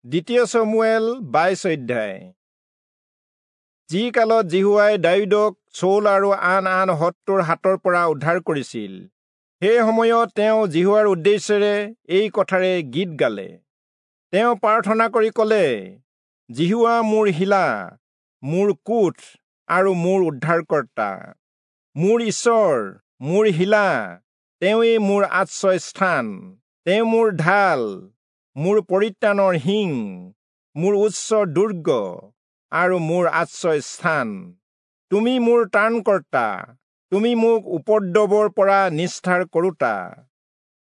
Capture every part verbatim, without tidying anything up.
দ্বিতীয় চমূৱেল বাইশ অধ্যায়। যি কালত যিহোৱাই দায়ূদক চৌল আৰু আন আন শত্ৰুৰ হাতৰ পৰা উদ্ধাৰ কৰিছিল, সেই সময়ত তেওঁ যিহোৱাৰ উদ্দেশ্যেৰে এই কথাৰে গীত গালে। তেওঁ প্ৰাৰ্থনা কৰি ক'লে, যিহোৱা মোৰ শিলা, মোৰ কোঁঠ আৰু মোৰ উদ্ধাৰকৰ্তা, মোৰ ঈশ্বৰ, মোৰ শিলা, তেওঁৱেই মোৰ আশ্ৰয় স্থান, তেওঁ মোৰ ঢাল, মোৰ পৰিত্ৰাণৰ শিং, মোৰ উচ্চ দুৰ্গ আৰু মোৰ আশ্ৰয় স্থান। তুমি মোৰ ত্ৰাণকৰ্তা, তুমি মোক উপদ্ৰৱৰ পৰা নিস্তাৰ কৰোঁতা।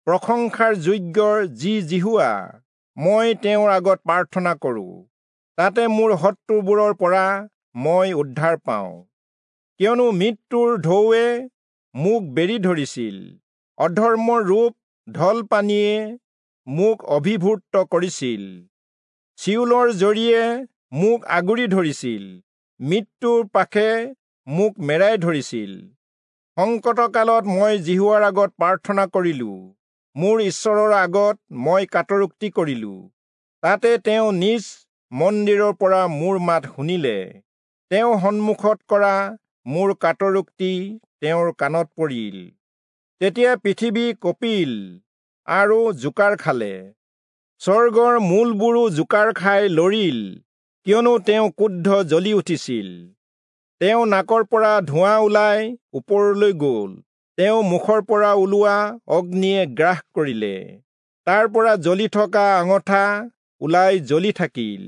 প্ৰশংসাৰ যোগ্য যি যিহোৱা, মই তেওঁৰ আগত প্ৰাৰ্থনা কৰোঁ, তাতে মোৰ শত্ৰুবোৰৰ পৰা মই উদ্ধাৰ পাওঁ। কিয়নো মৃত্যুৰ ঢৌৱে মোক বেৰি ধৰিছিল, অধৰ্মৰ ৰূপ ঢল পানীয়ে মোক অভিভূত কৰিছিল, চিয়োলৰ জৰীয়ে মোক আগুৰি ধৰিছিল, মৃত্যুৰ পাশে মোক মেৰাই ধৰিছিল। সংকটকালত মই যিহোৱাৰ আগত প্ৰাৰ্থনা কৰিলোঁ, মোৰ ঈশ্বৰৰ আগত মই কাতৰোক্তি কৰিলোঁ। তাতে তেওঁ নিজ মন্দিৰৰ পৰা মোৰ মাত শুনিলে, তেওঁ সন্মুখত কৰা মোৰ কাতৰোক্তি তেওঁৰ কাণত পৰিল। তেতিয়া পৃথিৱী কঁপিল আৰু জোকাৰ খালে, স্বৰ্গৰ মূলবোৰো জোকাৰ খাই লৰিল, কিয়নো তেওঁ ক্ৰোধ জ্বলি উঠিছিল। তেওঁ নাকৰ পৰা ধোঁৱা ওলাই ওপৰলৈ গ'ল, তেওঁ মুখৰ পৰা ওলোৱা অগ্নিয়ে গ্ৰাস কৰিলে, তাৰ পৰা জ্বলি থকা আঙঠা ওলাই জ্বলি থাকিল।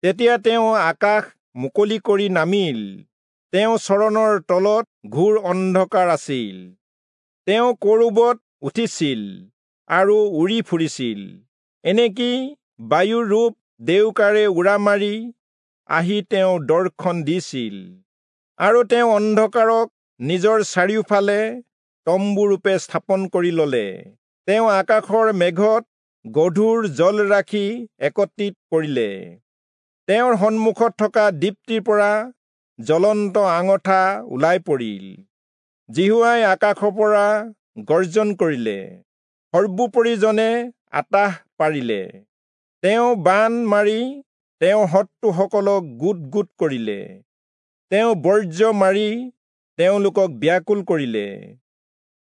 তেতিয়া তেওঁ আকাশ মুকলি কৰি নামিল, তেওঁ চৰণৰ তলত ঘোৰ অন্ধকাৰ আছিল। তেওঁ কৰূবত উঠিছিল আৰু উৰি ফুৰিছিল, এনেকি বায়ুৰ ৰূপ ডেউকাৰে উৰা মাৰি আহি তেওঁ দৰ্শন দিছিল। আৰু তেওঁ অন্ধকাৰক নিজৰ চাৰিওফালে তম্বুৰূপে স্থাপন কৰি ললে। তেওঁ আকাশৰ মেঘত গধুৰ জল ৰাখি একত্ৰিত কৰিলে। তেওঁৰ সন্মুখত থকা দীপ্তিৰ পৰা জ্বলন্ত আঙঠা ওলাই পৰিল। যিহোৱাই আকাশৰ পৰা গৰ্জন কৰিলে, সৰ্বোপৰিজনে আতাহ পাৰিলে। তেওঁ বাণ মাৰি তেওঁৰ শত্ৰুসকলক গোট গোট কৰিলে, তেওঁ বৰ্জ্য মাৰি তেওঁলোকক ব্যাকুল কৰিলে।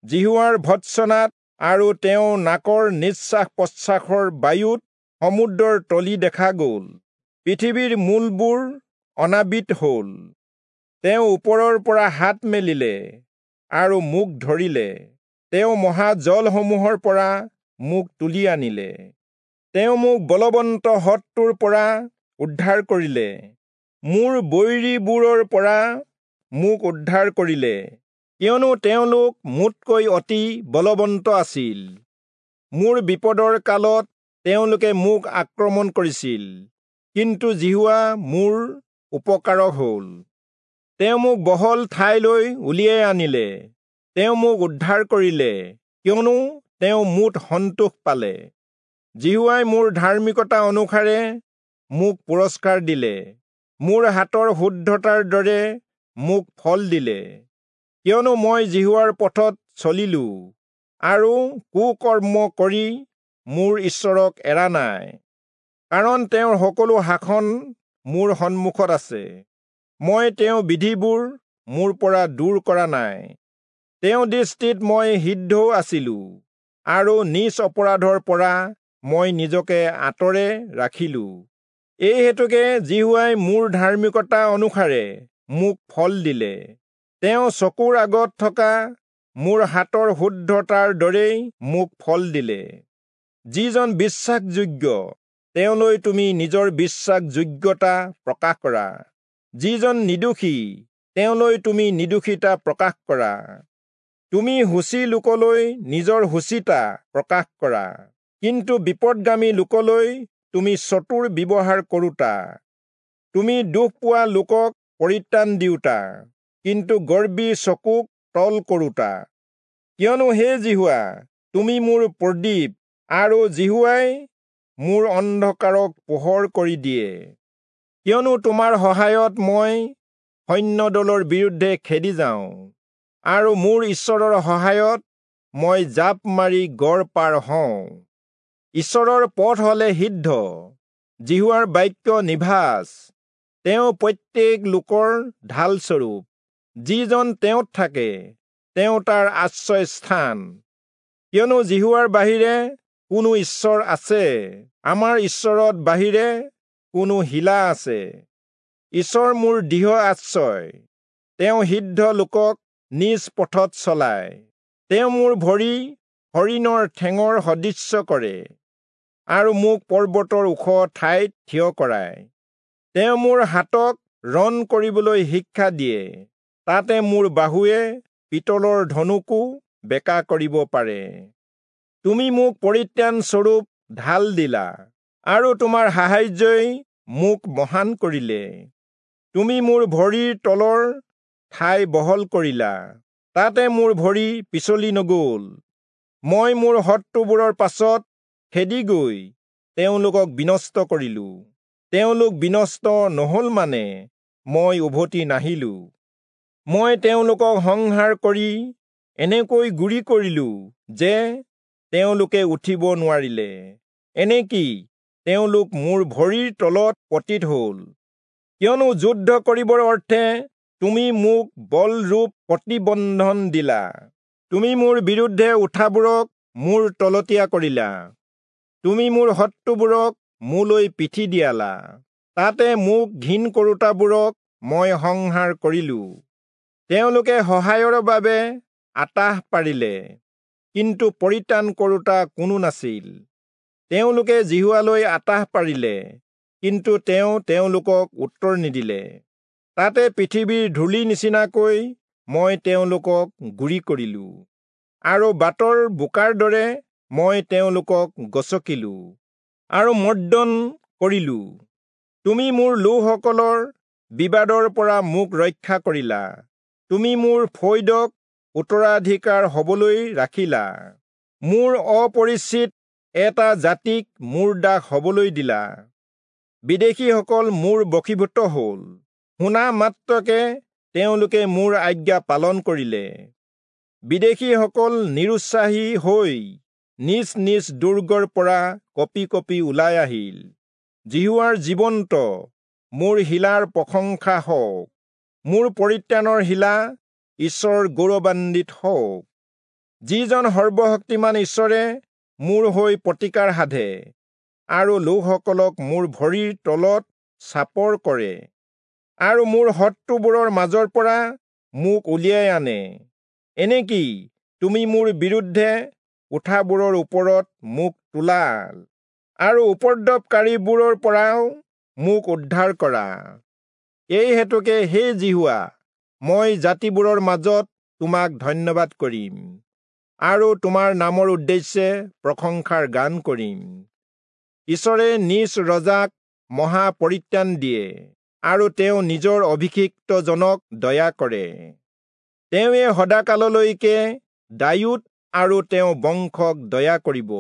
যিহোৱাৰ ভৰ্ৎসনাত আৰু তেওঁৰ নাকৰ নিশ্বাস প্ৰশ্বাসৰ বায়ুত সমুদ্ৰৰ তলি দেখা গ'ল, পৃথিৱীৰ মূলবোৰ অনাবৃত হ'ল। তেওঁ ওপৰৰ পৰা হাত মেলিলে আৰু মোক ধৰিলে, তেওঁ মহাজলসমূহৰ পৰা মোক তুলি আনিলে। তেওঁ মোক বলৱন্ত শত্ৰুৰ পৰা উদ্ধাৰ কৰিলে, মোৰ বৈৰীবোৰৰ পৰা মোক উদ্ধাৰ কৰিলে, কিয়নো তেওঁলোক মোতকৈ অতি বলৱন্ত আছিল। মোৰ বিপদৰ কালত তেওঁলোকে মোক আক্ৰমণ কৰিছিল, কিন্তু যিহোৱা মোৰ উপকাৰক হ'ল। তেওঁ মোক বহল ঠাইলৈ উলিয়াই আনিলে, তেওঁ মোক উদ্ধাৰ কৰিলে, কিয়নো তেওঁ মোত সন্তোষ পালে। যিহোৱাই মোৰ ধাৰ্মিকতা অনুসাৰে মোক পুৰস্কাৰ দিলে, মোৰ হাতৰ শুদ্ধতাৰ দৰে মোক ফল দিলে। কিয়নো মই যিহোৱাৰ পথত চলিলো আৰু কুকৰ্ম কৰি মোৰ ঈশ্বৰক এৰা নাই, কাৰণ তেওঁৰ সকলো শাসন মোৰ সন্মুখত আছে। মই তেওঁৰ বিধিবোৰ মোৰ পৰা দূৰ কৰা নাই। তেওঁৰ দৃষ্টিত মই সিদ্ধও আছিলো আৰু নিজ অপৰাধৰ পৰা মই নিজকে আঁতৰে ৰাখিলো। এই হেতুকে যিহোৱাই মোৰ ধাৰ্মিকতা অনুসাৰে মোক ফল দিলে, তেওঁ চকুৰ আগত থকা মোৰ হাতৰ শুদ্ধতাৰ দৰেই মোক ফল দিলে। যিজন বিশ্বাসযোগ্য, তেওঁলৈ তুমি নিজৰ বিশ্বাসযোগ্যতা প্ৰকাশ কৰা, যিজন নিৰ্দোষী, তেওঁলৈ তুমি নিৰ্দোষিতা প্ৰকাশ কৰা। তুমি শুচি লোকলৈ নিজৰ শুচিতা প্ৰকাশ কৰা, কিন্তু বিপদগামী লোকলৈ তুমি চতুৰ ব্যৱহাৰ কৰোঁতা। তুমি দুখ পোৱা লোকক পৰিত্ৰাণ দিওঁতা, কিন্তু গৰ্বী চকুক তল কৰোঁতা। কিয়নো হে যিহোৱা, তুমি মোৰ প্ৰদীপ, আৰু যিহোৱাই মোৰ অন্ধকাৰক পোহৰ কৰি দিয়ে। কিয়নো তোমাৰ সহায়ত মই সৈন্যদলৰ বিৰুদ্ধে খেদি যাওঁ, আৰু মোৰ ঈশ্বৰৰ সহায়ত মই জাঁপ মাৰি গড় পাৰ হওঁ। ঈশ্বৰৰ পথ হলে সিদ্ধ, যিহোৱাৰ বাক্য নিভাঁজ, তেওঁ প্ৰত্যেক লোকৰ ঢালস্বৰূপ। যিজন তেওঁত থাকে তেওঁ তাৰ আশ্ৰয় স্থান। কিয়নো যিহোৱাৰ বাহিৰে কোনো ঈশ্বৰ আছে? আমাৰ ঈশ্বৰত বাহিৰে কোনো শিলা আছে? ঈশ্বৰ মোৰ দৃঢ় আশ্ৰয়, তেওঁ সিদ্ধ লোকক নিজ পথত চলায়। তেওঁ মোৰ ভৰি হৰিণৰ ঠেঙৰ সদৃশ্য কৰে আৰু মোক পৰ্বতৰ ওখ ঠাইত থিয় কৰায়। তেওঁ মোৰ হাতক ৰণ কৰিবলৈ শিক্ষা দিয়ে, তাতে মোৰ বাহুৱে পিতলৰ ধনুকো বেকা কৰিব পাৰে। তুমি মোক পৰিত্ৰাণ স্বৰূপ ঢাল দিলা আৰু তোমাৰ সাহায্যই মোক মহান কৰিলে। তুমি মোৰ ভৰিৰ তলৰ ঠাই বহল কৰিলা, তাতে মোৰ ভৰি পিছলি নগ'ল। মই মোৰ শত্ৰুবোৰৰ পাছত খেদি গৈ তেওঁলোকক বিনষ্ট কৰিলো। তেওঁলোক বিনষ্ট নহ'ল মানে মই উভতি নাহিলো। মই তেওঁলোকক সংহাৰ কৰি এনেকৈ গুৰি কৰিলো যে তেওঁলোকে উঠিব নোৱাৰিলে, এনেকি তেওঁলোক মোৰ ভৰিৰ তলত পতিত হ'ল। কিয়নো যুদ্ধ কৰিবৰ অৰ্থে তুমি মোক বলৰূপ প্ৰতিবন্ধন দিলা। তুমি মোৰ বিৰুদ্ধে উঠাবোৰক মোৰ তলতীয়া কৰিলা। তুমি মোৰ শত্ৰুবোৰক মোলৈ পিঠি দিয়ালা, তাতে মোক ঘিণ কৰোতাবোৰক মই সংহাৰ কৰিলো। তেওঁলোকে সহায়ৰ বাবে আতাহ পাৰিলে, কিন্তু পৰিত্ৰাণ কৰোতা কোনো নাছিল। তেওঁলোকে যিহোৱালৈ আতাহ পাৰিলে, কিন্তু তেওঁ তেওঁলোকক উত্তৰ নিদিলে। তাতে পৃথিৱীৰ ধূলি নিচিনাকৈ মই তেওঁলোকক গুৰি কৰিলো আৰু বাটৰ বোকাৰ দৰে মই তেওঁলোকক গচকিলো আৰু মৰ্দন কৰিলো। তুমি মোৰ লোকসকলৰ বিবাদৰ পৰা মোক ৰক্ষা কৰিলা। তুমি মোৰ ফৈদক উত্তৰাধিকাৰ হবলৈ ৰাখিলা। মোৰ অপৰিচিত এটা জাতিক মোৰ দাস হবলৈ দিলা। বিদেশীসকল মোৰ বশীভূত হ'ল, শুনা মাত্ৰকে তেওঁলোকে মোৰ আজ্ঞা পালন কৰিলে। বিদেশীসকল নিৰুৎসাহী হৈ নিজ নিজ দুৰ্গৰ পৰা কঁপি কঁপি ওলাই আহিল। যিহোৱাৰ জীৱন্ত মোৰ শিলাৰ প্ৰশংসা হওক, মোৰ পৰিত্ৰাণৰ শিলা ঈশ্বৰ গৌৰৱান্বিত হওক। যিজন সৰ্বশক্তিমান ঈশ্বৰে মোৰ হৈ প্ৰতিকাৰ সাধে আৰু লোকসকলক মোৰ ভৰিৰ তলত চাপৰ কৰে আৰু মোৰ শত্ৰুবোৰৰ মাজৰ পৰা মোক উলিয়াই আনে। এনেকি তুমি মোৰ বিৰুদ্ধে উঠাবোৰৰ ওপৰত মোক তোলা আৰু উপদ্ৰৱকাৰীবোৰৰ পৰাও মোক উদ্ধাৰ কৰা। এই হেতুকে হে যিহোৱা, মই জাতিবোৰৰ মাজত তোমাক ধন্যবাদ কৰিম আৰু তোমাৰ নামৰ উদ্দেশ্যে প্ৰশংসাৰ গান কৰিম। ঈশ্বৰে নিজ ৰজাক মহা পৰিত্ৰাণ দিয়ে আৰু তেওঁ নিজৰ অভিষিক্তজনক দয়া কৰে। তেওঁৱে সদাকাললৈকে দায়ূদ আৰু তেওঁ বংশক দয়া কৰিব।